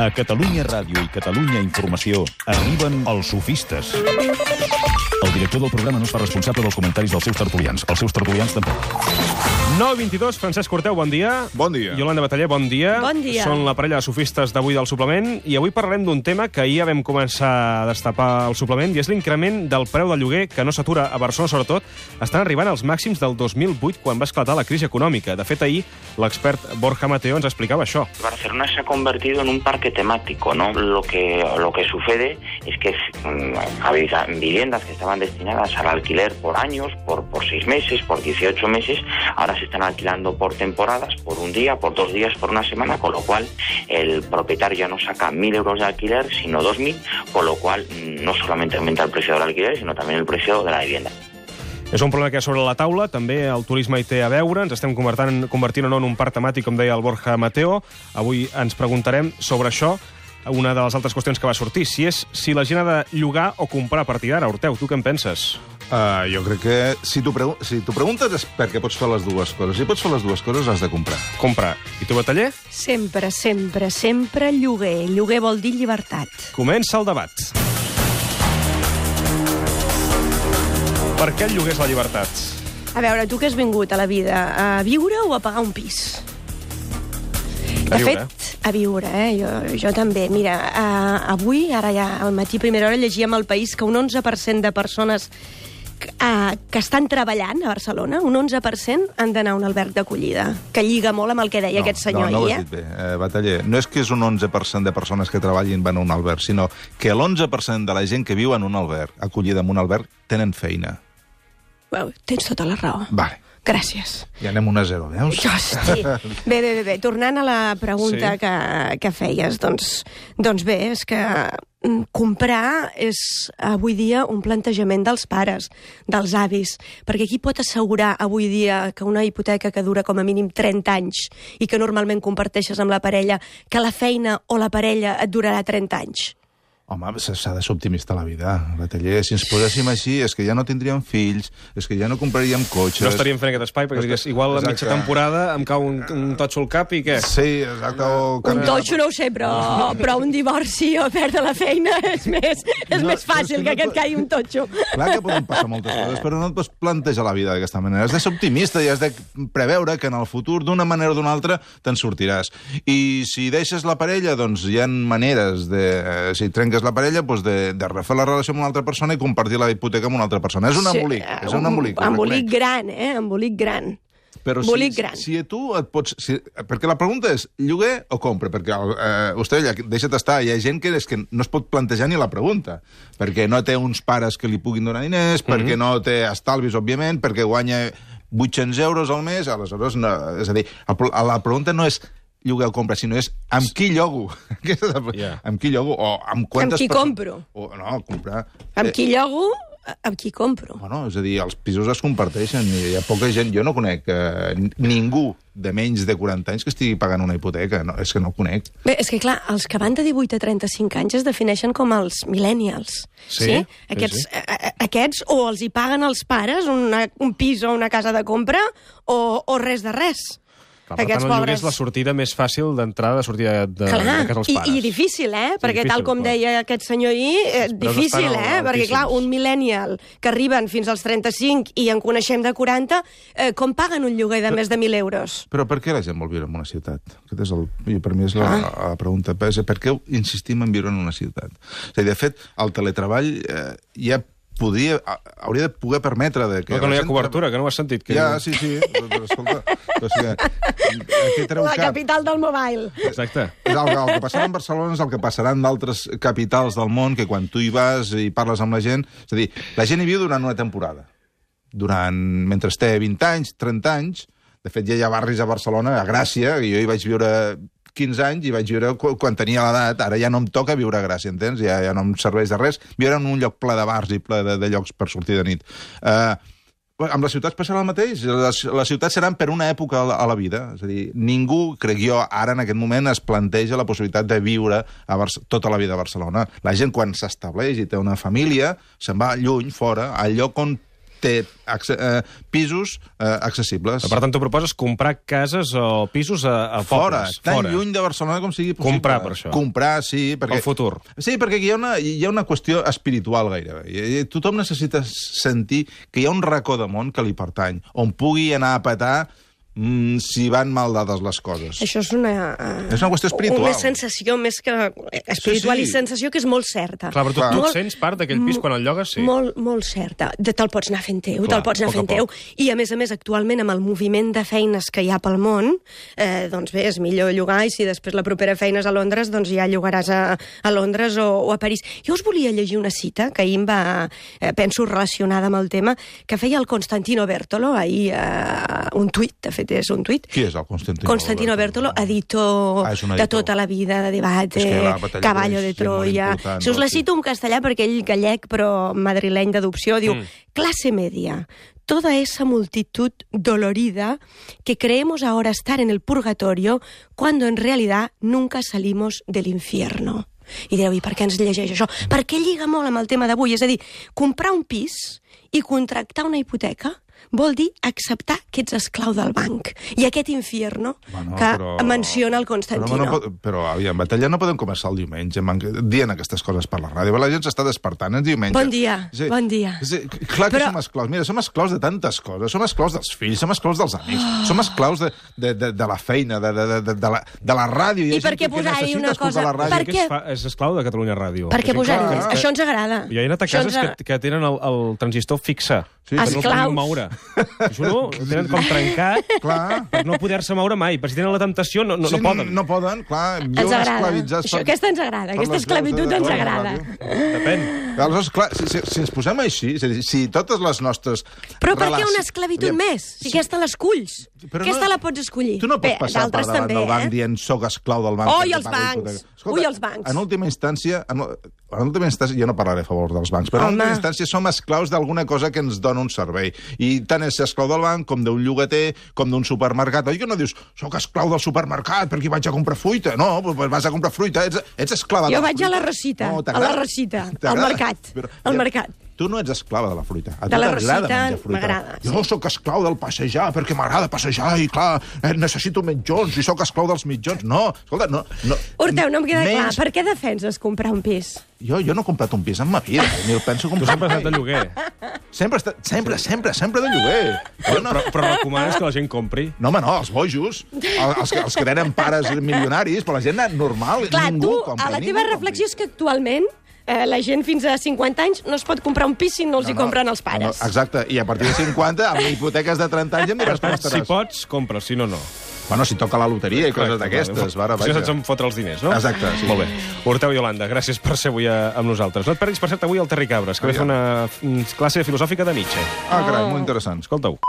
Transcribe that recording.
A Catalunya Ràdio i Catalunya Informació arriben els sofistes. El director del programa no es fa responsable dels comentaris dels seus tertulians. Els seus tertulians tampoc. 9:22, Francesc Corteu, bon dia. Bon dia. Yolanda Bataller, bon dia. Bon dia. Són la parella de sofistes d'avui del suplement i avui parlarem d'un tema que ahir ja vam començar a destapar el suplement i és l'increment del preu del lloguer que no s'atura a Barcelona, sobretot. Estan arribant als màxims del 2008 quan va esclatar la crisi econòmica. De fet, ahir l'expert Borja Mateo ens explicava això. Barcelona se ha convertido en un parque temático, ¿no? Lo que sucede es que había viviendas que estaban destinadas al alquiler por años, por 6 meses, por 18 meses, ahora se están alquilando por temporadas, por un día, por 2 días, por una semana, con lo cual el propietario ya no saca 1.000 euros de alquiler, sino 2.000, con lo cual no solamente aumenta el precio del alquiler, sino también el precio de la vivienda. És un problema que hi ha sobre la taula, també el turisme hi té a veure, ens estem convertint o no en un parc temàtic, com deia el Borja Mateo. Avui ens preguntarem sobre això. Una de les altres qüestions que va sortir, si la gent ha de llogar o comprar a partir d'ara. Horteu, tu què en penses? Jo crec que si tu preguntes és perquè pots fer les dues coses. Si pots fer les dues coses, has de comprar. Comprar. I tu, Bataller? Sempre, sempre, sempre lloguer. Lloguer vol dir llibertat. Comença el debat. Per què el lloguer és la llibertat? A veure, tu que has vingut a la vida, a viure o a pagar un pis? A viure. De fet, a viure, jo també. Mira, avui, ara ja al matí, primera hora, llegíem al País que un 11% de persones que estan treballant a Barcelona, un 11% han d'anar a un alberg d'acollida, que lliga molt amb el que deia aquest senyor no ho ahir. has dit bé, Bataller. No és que és un 11% de persones que treballin van a un alberg, sinó que l'11% de la gent que viu en un alberg, acollida en un alberg, tenen feina. Well, tens tota la raó. Vale. Gràcies. Ja anem 1-0, veus? Hosti. Bé. Tornant a la pregunta que feies, doncs bé, és que comprar és avui dia un plantejament dels pares, dels avis, perquè qui pot assegurar avui dia que una hipoteca que dura com a mínim 30 anys i que normalment comparteixes amb la parella, que la feina o la parella et durarà 30 anys? Home, s'ha de ser optimista a la vida, Bataller. Si ens poséssim així, és que ja no tindríem fills, és que ja no compraríem cotxes... No estaríem fent aquest espai, perquè digués, igual a mitja temporada em cau un totxo al cap i què? Sí, exacte. Un totxo no ho sé, però un divorci o perdre la feina és més fàcil que et caigui un totxo. Clar que poden passar moltes coses, però no et pots plantejar la vida d'aquesta manera. Has de ser optimista i has de preveure que en el futur, d'una manera o d'una altra, te'n sortiràs. I si deixes la parella, doncs hi ha maneres de... Si trenques la parella, doncs de refer la relació amb una altra persona i compartir la hipoteca amb una altra persona. És un embolic. És un embolic. Embolic gran, embolic gran. Però si tu et pots... Perquè la pregunta és, lloguer o compra? Perquè, Ostella, deixa't estar, hi ha gent que no es pot plantejar ni la pregunta, perquè no té uns pares que li puguin donar diners, perquè no té estalvis, òbviament, perquè guanya 800 euros al mes, aleshores, no, és a dir, la pregunta no és lloguer o compra, sinó és amb qui llogo. Amb qui llogo o amb quantes... Amb qui compro. No, comprar... Amb qui llogo, amb qui compro. Bueno, és a dir, els pisos es comparteixen i hi ha poca gent... Jo no conec ningú de menys de 40 anys que estigui pagant una hipoteca. No, és que no ho conec. Bé, és que clar, els que van de 18 a 35 anys es defineixen com els millennials. Sí? Aquests o els hi paguen els pares un pis o una casa de compra o res de res. Per tant, el lloguer és la sortida més fàcil d'entrada, de sortida de casa dels pares. I difícil, perquè tal com deia aquest senyor ahir, difícil, perquè clar, un millennial que arriben fins als 35 i en coneixem de 40, com paguen un lloguer de més de 1.000 euros? Però per què la gent vol viure en una ciutat? Per mi és la pregunta. Per què insistim en viure en una ciutat? És a dir, de fet, el teletreball ja hauria de poder permetre... Que no hi ha cobertura, que no ho has sentit. Ja, sí, però escolta... La capital del mobile. Exacte. El que passarà en Barcelona és el que passarà en d'altres capitals del món, que quan tu hi vas i parles amb la gent... És a dir, la gent hi viu durant una temporada. Mentre té 20 anys, 30 anys... De fet, ja hi ha barris a Barcelona, a Gràcia, i jo hi vaig viure 15 anys i vaig viure quan tenia l'edat. Ara ja no em toca viure a Gràcia, entens? Ja no em serveix de res. Viure en un lloc ple de bars i ple de llocs per sortir de nit. Amb les ciutats passarà el mateix. Les ciutats seran per una època a la vida. És a dir, ningú, crec jo, ara en aquest moment es planteja la possibilitat de viure tota la vida a Barcelona. La gent, quan s'estableix i té una família, se'n va lluny, fora, al lloc on té pisos accessibles. Per tant, tu proposes comprar cases o pisos a Fora, pobles. tan lluny de Barcelona com sigui possible. Comprar, per això. Comprar, sí. Perquè... El futur. Sí, perquè hi ha una qüestió espiritual gairebé. Tothom necessita sentir que hi ha un racó de món que li pertany, on pugui anar a petar si van mal dades les coses. Això és una qüestió espiritual. Una sensació més que espiritual i sensació que és molt certa. Clar, però tu et sents part d'aquell pis quan el llogues, sí. Molt certa. Te'l pots anar fent teu, I, a més, actualment, amb el moviment de feines que hi ha pel món, doncs bé, és millor llogar, i si després la propera feina és a Londres, doncs ja llogaràs a Londres o a París. Jo us volia llegir una cita que ahir em va, penso, relacionada amb el tema, que feia el Constantino Bertolo, ahir un tuit, de fet, és un tuit. Qui és el Constantino? Constantino Bertolo, editor de tota la vida, de Debate, Caballo de Troya. Si us la cito en castellà, perquè ell gallec, però madrileny d'adopció, diu: clase media, toda esa multitud dolorida que creemos ahora estar en el purgatorio cuando en realidad nunca salimos del infierno. I direu, i per què ens llegeix això? Perquè lliga molt amb el tema d'avui. És a dir, comprar un pis i contractar una hipoteca vol dir acceptar que ets esclau del banc. I aquest infierno menciona el Constantino. Però, aviam, Batalla, no podem començar el diumenge dient aquestes coses per la ràdio. La gent s'està despertant el diumenge. Bon dia, bon dia. Clar que som esclaus. Mira, som esclaus de tantes coses. Som esclaus dels fills, som esclaus dels amics, som esclaus de la feina, de la ràdio. I per què posar-hi una cosa? Per què és esclau de Catalunya Ràdio? Per què posar-hi? Això ens agrada. Hi ha anat a cases que tenen el transistor fixe. Esclaus. Això no, tenen com trencat per no poder-se moure mai. Per si tenen la temptació, no poden. No poden, clar. Ens agrada. Aquesta ens agrada. Aquesta esclavitud ens agrada. Depèn. Aleshores, clar, si ens posem així, és a dir, si totes les nostres... Però per què una esclavitud més? Si aquesta l'esculls. Aquesta la pots escollir. Tu no pots passar per davant del banc dient soc esclau del banc. Ui, els bancs! Ui, els bancs! En última instància, jo no parlaré a favor dels bancs, però en última instància som esclaus d'alguna cosa que ens dona un servei. I tant és ser esclau del banc, com d'un llogater, com d'un supermercat. Oi que no dius, soc esclau del supermercat perquè vaig a comprar fruita? No, vas a comprar fruita, ets esclava de la fruita. Jo vaig a la Rosita, al mercat. Tu no ets esclava de la fruita. A de la Rosita m'agrada. Jo sóc esclau del passejar perquè m'agrada passejar i, clar, necessito mitjons i sóc esclau dels mitjons. No, escolta, no. Horteu, no em queda clar. Per què defenses comprar un pis? Jo no he comprat un pis en ma vida, ni el penso comprar. Tu sempre has estat de lloguer. Sempre de lloguer. Però recomanes que la gent compri? No, home, no, els bojos, els que tenen pares milionaris, però la gent normal, clar, ningú compri. Clar, tu, la teva reflexió és que actualment la gent fins a 50 anys no es pot comprar un pis si no els hi compren els pares. Exacte, i a partir de 50, amb hipoteques de 30 anys, em diràs com estaràs. Si pots, compra, si no, no. Bueno, si toca la loteria i coses d'aquestes. Si se'ns en fotre els diners, no? Exacte, sí. Molt bé. Horteu i Yolanda, gràcies per ser avui amb nosaltres. No et perdis, per cert, avui el Terri Cabres, que ve fer una classe filosòfica de Nietzsche. Carai, molt interessant. Escolta-ho.